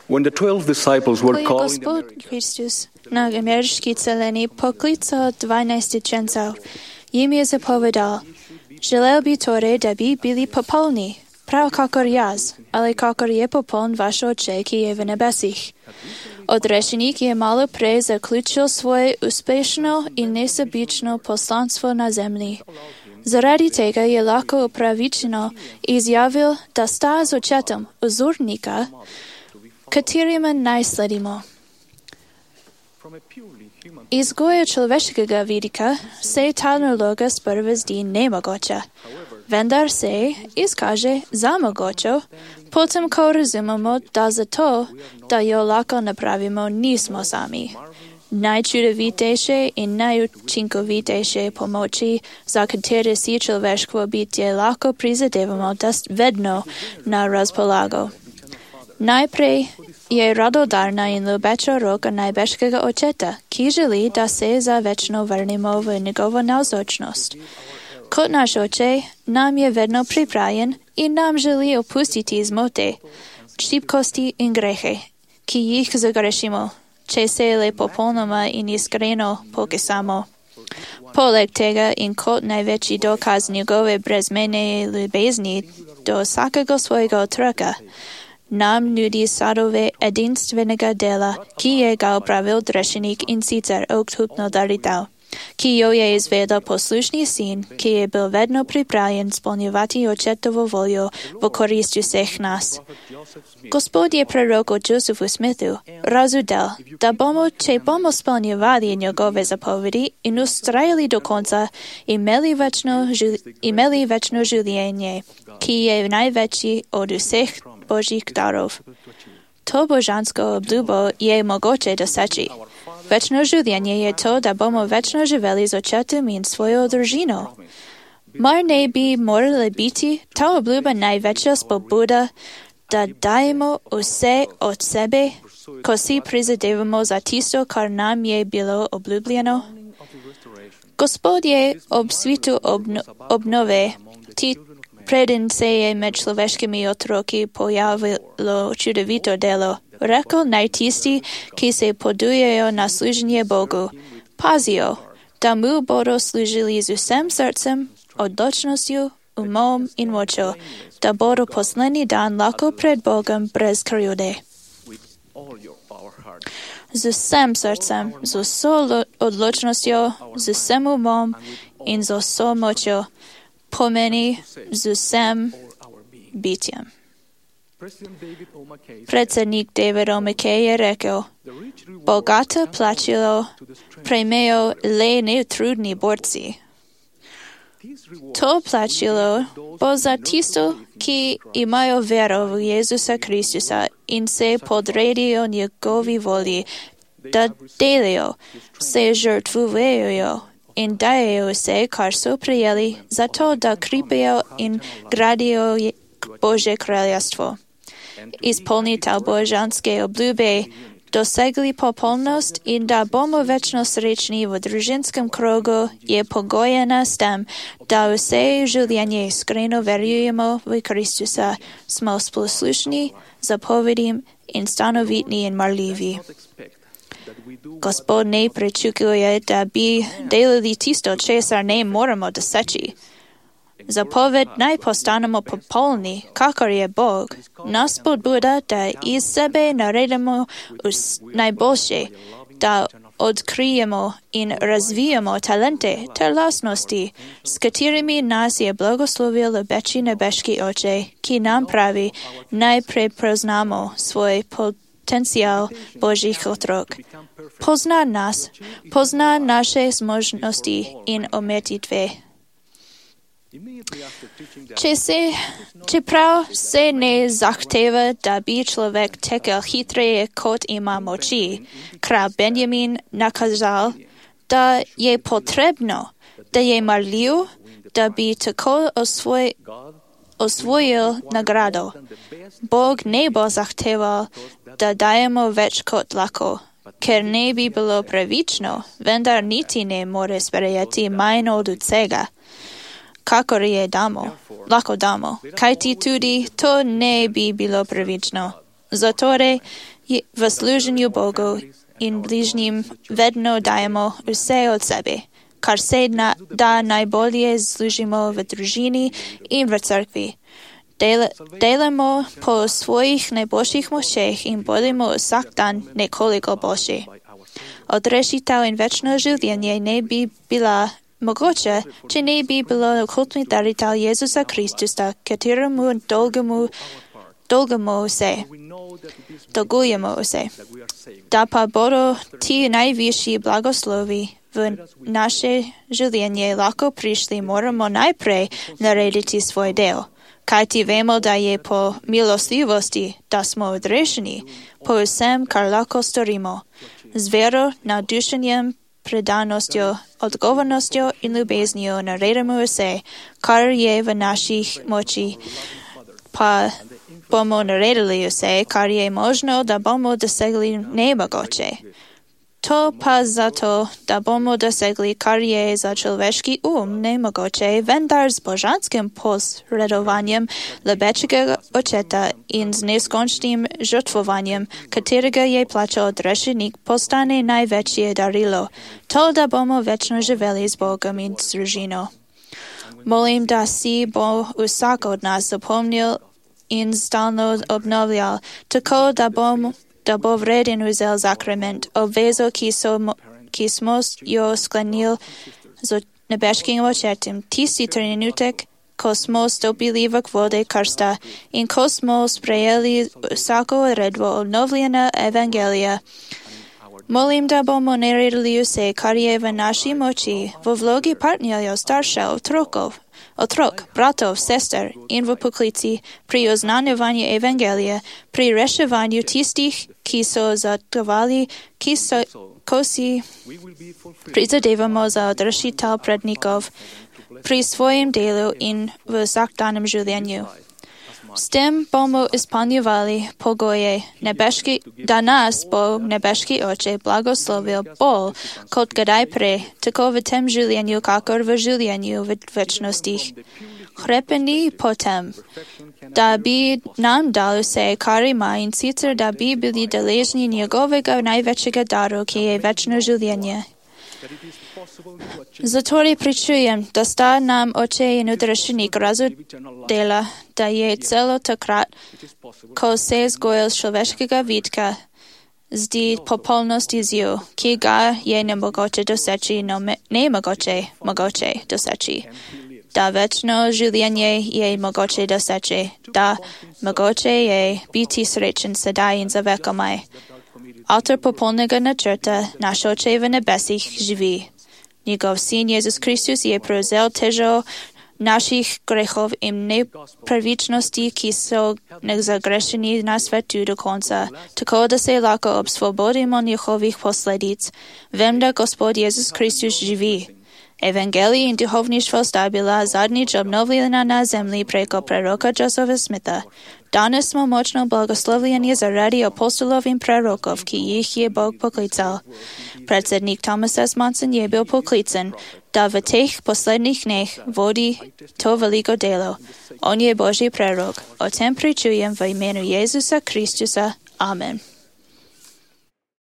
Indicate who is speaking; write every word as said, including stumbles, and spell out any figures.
Speaker 1: When the twelve disciples were
Speaker 2: Коли
Speaker 1: calling the
Speaker 2: Господь Христос на американській целині покликав дванадцятиченців, їм я заповідав, желал би торе, даби били пополни, прав какор яз, але какор є пополн ваш Отче, ки є в небесіх. Odrečenik je malo prej zaključil svoje uspešno in nesebično poslanstvo na zemlji. Zaradi tega je lahko upravičeno izjavil, da sta z očetom vzornika, katerima naj sledimo. Iz goja človeškega vidika se ta naloga sprva zdi nemogoča, vendar se izkaže za mogočo, potem ko razumemo, da zato, da jo lahko napravimo, nismo sami. Najčudovitejše in najučinkovitejše pomoči, za katere si človeško bitje lahko prizadevamo, da vedno na razpolago. Najprej je radodarna in ljubeča roka najbeškega očeta, ki želi, da se za večno vrnemo v njegovo navzočnost. Kot naš oče, nam je vedno pripravljen in nam želi opustiti zmote, šibkosti in grehe, ki jih zagrešimo, če se le popolnoma in iskreno pokesamo. Poleg tega in kot največji dokaz njegove brezmejne ljubezni do vsakega svojega otroka, nam nudi sadove edinstvenega dela, ki je ga opravil Drešenik in sicer odkupno daritev, ki jo je izvedel poslušni sin, ki je bil vedno pripravljen spolnjevati očetovo voljo v korist vseh nas. Gospod je proroku Josefu Smithu razudel, da bomo, če bomo spolnjevali njegove zapovedi in ustrajali do konca, imeli večno, imeli večno življenje, ki je največji od vseh Božjih darov. To božansko obljubo je mogoče doseči. Večno življenje je to, da bomo večno živeli z očetom in svojo družino. Mar ne bi morala biti ta obljuba največja spodbuda, da dajemo vse od sebe, ko si prizadevamo za tisto, kar nam je bilo obljubljeno? Gospod je ob svitu obno, obnove, ti preden se je med človeškimi otroki pojavilo čudovito delo, rekel naj tisti, ki se podujejo na služenje Bogu, pazijo, da mu bodo služili z vsem srcem, odločnostjo, umom in močjo, da bodo poslednji dan lahko pred Bogom brez krivde. Z vsem srcem, z vso odločnostjo, z vsem umom in z vso močjo, pomeni z vsem bitjem. Predsednik David O. McKay je rekel, bogato plačilo prejmejo le neutrudni borci. To plačilo bo za tisto, ki imajo vero v Jezusa Kristusa in se podredijo njegovi volji, da delijo, se žrtvujejo in dajejo vse, kar so prijeli, zato da kripijo in gradijo Božje kraljestvo. Izpolnitev božanske obljube, dosegli popolnost in da bomo večno srečni v družinskem krogu, je pogojena s tem, da vse življenje iskreno verjujemo v Kristusa, smo poslušni, zapovedim in stanovitni in marljivi. Gospod ne pričakuje, da bi delali tisto, česar ne moramo doseči. Zapoved naj postanemo popolni, kakor je Bog, nas spodbuda, da iz sebe naredimo najboljše, da odkrijemo in razvijamo talente ter lastnosti, s katerimi nas je blagoslovil ljubeči nebeški Oče, ki nam pravi, naj prepoznamo svoj potencial Božjih otrok. Pozna nas, pozna naše zmožnosti in umetitve. Če se, čeprav se ne zahteva, da bi človek tekel hitreje, kot ima moči, kralj Benjamin nakazal, da je potrebno, da je marljiv, da bi tako osvoj, osvojil nagrado. Bog ne bo zahteval, da dajemo več kot lahko, ker ne bi bilo pravično, vendar niti ne more sprejeti manj od vsega, kakor je damo, lahko damo, kajti tudi to ne bi bilo pravično. Zatorej в служению Богу и ближним ведно даємо усе от себе. Кар се на, да найболее служимо в дружині і в церкві. Делимо по своїх найбільших мощах і будемо усахтан неколико більше. Одрешител in вічне життя не би була могуча, чи не би було окультний даритель Єсуса Христуса, которому долгому долгому се, долгуємо усе. Да пободу ті найвищі благослови в наше життя легко прийшли, можемо найпре наредити свой дел. Кайти вемо да є по милостивості, да смо одрешені, по усем кар легко сторимо. З віро, надушенням, преданістю, odgovornostю і любезністю наредимо усе, кар є в наших мочі, па бомо наредили усе, кар є можно, да бомо досягли небагоче. То па за то, да бомо досягли, кар є за чоловічий ум немогоче, вендар з божанським посредованням лебечого очета і з нескончним жертвуванням, которого є плаче одрешеник, постане найвечє дарило. То да бомо вечно живели з Богом і з дружино. Молим да си Бог усак од нас запомнил і стално обновлял, тако да бомо да бо вреден узел закрамент, обвезо кисмос йо склонил з небешким очетом, тісі тренутек, космос допіливок води карста, ін космос приєлі усако редво обновлена Евангелія. Молим да бомо нередили усе, кар є в нашій мочі, во влогі партнерів старша отроков, отрок, братов, сестер, ін в поклиці, при ознанюванні Евангелія, при решуванню тістих, кі со затували, кі со косі призадевамо за одрешител предников, при своїм делу ін в сахтаному життю. З тим бомо ісполнювали погоє небешки, да нас Бог небешки очі благословил бол, кот гадай пре, тако в тем життю, какор в життю в вечності. Хрепені потем, да би нам дал усе, кари маєн, сицер да би були далежні нjegovega найвечего дару, ки є вечно життя. Затори причуjem, да sta nam oče in udrešenik razu dela, da je celo takrat, ko se zgojil človeškega vidka, zdi popolnost izjiv, ki ga je nemogoče doseči, no me, nemogoče mogoče doseči. Da večno življenje je mogoče doseči, da mogoče je biti srečen sedaj in za vekomaj. Avtor popolnega načrta, naš oče v nebesih živi. Njegov sin Jezus Kristus je prevzel težo naših grehov in nepravičnosti, ki so nezagrešeni na svetu do konca, tako da se lahko osvobodimo njihovih posledic. Vem, da Gospod Jezus Kristus živi. Evangelij in duhovništvo sta bila zadnjič obnovljena na zemlji preko preroka Josefa Smitha. Danes smo močno blagoslovljeni zaradi apostolov in prerokov, ki jih je Bog poklical. Predsednik Thomas S. Monson je bil poklican, da v teh poslednjih dneh vodi to veliko delo. On je Božji prerok. O tem pričujem v imenu Jezusa Kristusa. Amen.